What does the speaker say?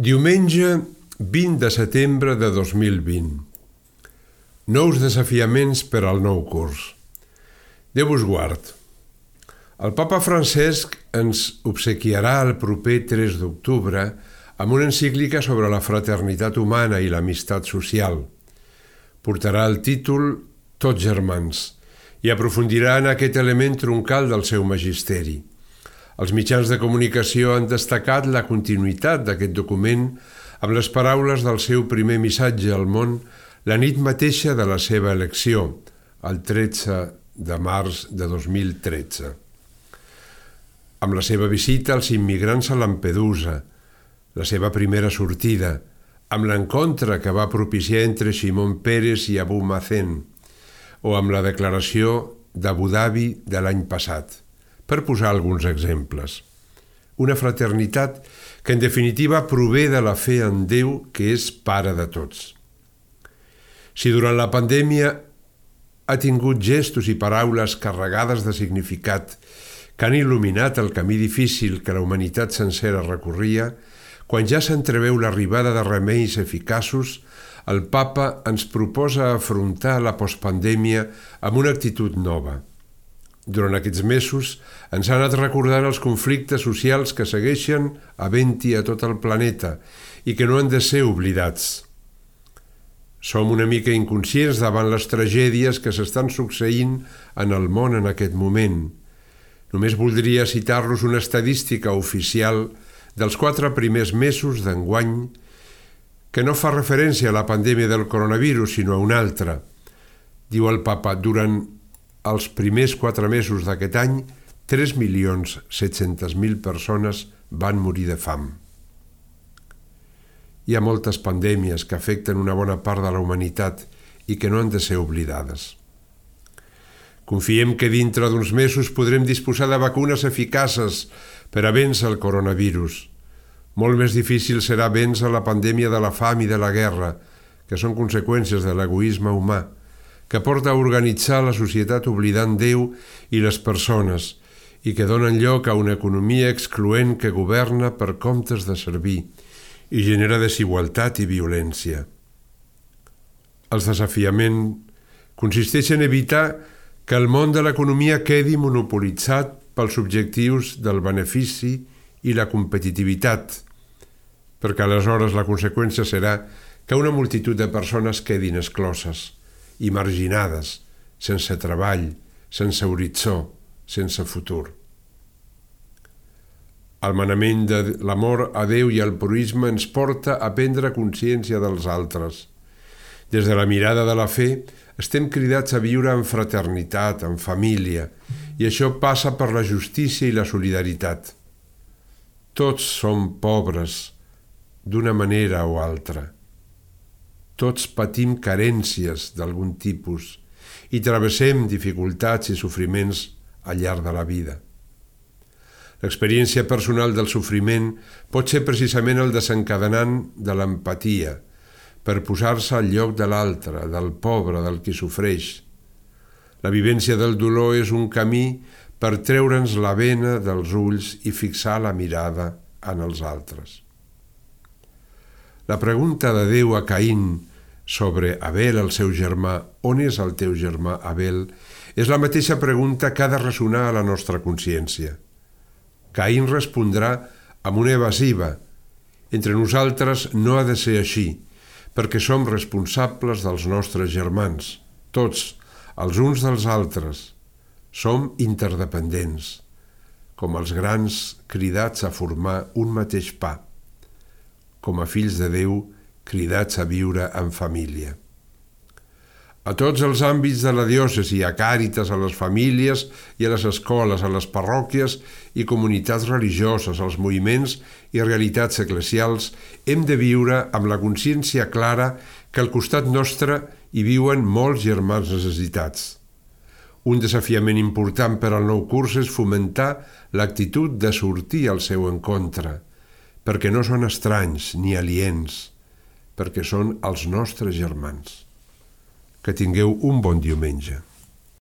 Diumenge 20 de setembre de 2020. Nous desafiaments per al nou curs. Déu us guard. El papa Francesc ens obsequiarà el proper 3 d'octubre amb una encíclica sobre la fraternitat humana i l'amistat social. Portarà el títol Tots germans i aprofundirà en aquest element troncal del seu magisteri. Els mitjans de comunicació han destacat la continuïtat d'aquest document amb les paraules del seu primer missatge al món la nit mateixa de la seva elecció, el 13 de març de 2013. Amb la seva visita als immigrants a Lampedusa, la seva primera sortida, amb l'encontre que va propiciar entre Shimon Peres i Abu Mazen, o amb la declaració d'Abu Dhabi de l'any passat, per posar alguns exemples. Una fraternitat que en definitiva prové de la fe en Déu, que és pare de tots. Si durant la pandèmia ha tingut gestos i paraules carregades de significat que han il·luminat el camí difícil que la humanitat sencera recorria, quan ja s'entreveu l'arribada de remeis eficaços, el papa ens proposa afrontar la postpandèmia amb una actitud nova. Durant aquests mesos ens ha anat recordant els conflictes socials que segueixen havent-hi a tot el planeta i que no han de ser oblidats. Som una mica inconscients davant les tragèdies que s'estan succeint en el món en aquest moment. Només voldria citar-los una estadística oficial dels 4 primers mesos d'enguany que no fa referència a la pandèmia del coronavirus, sinó a una altra. Diu el papa, durant els primers 4 mesos d'aquest any, 3.700.000 persones van morir de fam. Hi ha moltes pandèmies que afecten una bona part de la humanitat i que no han de ser oblidades. Confiem que dintre d'uns mesos podrem disposar de vacunes eficaces per a vèncer el coronavirus. Molt més difícil serà vèncer la pandèmia de la fam i de la guerra, que són conseqüències de l'egoisme humà, que porta a organitzar la societat oblidant Déu i les persones i que donen lloc a una economia excloent que governa per comptes de servir i genera desigualtat i violència. El desafiament consisteix en evitar que el món de l'economia quedi monopolitzat pels objectius del benefici i la competitivitat, perquè aleshores la conseqüència serà que una multitud de persones quedin excloses i marginades, sense treball, sense horitzó, sense futur. El manament de l'amor a Déu i al proïsme ens porta a prendre consciència dels altres. Des de la mirada de la fe, estem cridats a viure en fraternitat, en família, i això passa per la justícia i la solidaritat. Tots som pobres, d'una manera o altra. Tots patim carències d'algun tipus i travessem dificultats i sofriments al llarg de la vida. L'experiència personal del sofriment pot ser precisament el desencadenant de l'empatia, per posar-se al lloc de l'altre, del pobre, del qui sofreix. La vivència del dolor és un camí per treure'ns la bena dels ulls i fixar la mirada en els altres. La pregunta de Déu a Caín sobre Abel, el seu germà, on és el teu germà Abel, és la mateixa pregunta que ha de ressonar a la nostra consciència. Caín respondrà amb una evasiva. Entre nosaltres no ha de ser així, perquè som responsables dels nostres germans, tots, els uns dels altres. Som interdependents, com els grans cridats a formar un mateix pa, com a fills de Déu cridats a viure en família. A tots els àmbits de la diòcesi, a Càritas, a les famílies i a les escoles, a les parròquies i comunitats religioses, als moviments i realitats eclesials, hem de viure amb la consciència clara que al costat nostre hi viuen molts germans necessitats. Un desafiament important per al nou curs és fomentar l'actitud de sortir al seu encontre, perquè no són estranys ni aliens, perquè són els nostres germans. Que tingueu un bon diumenge.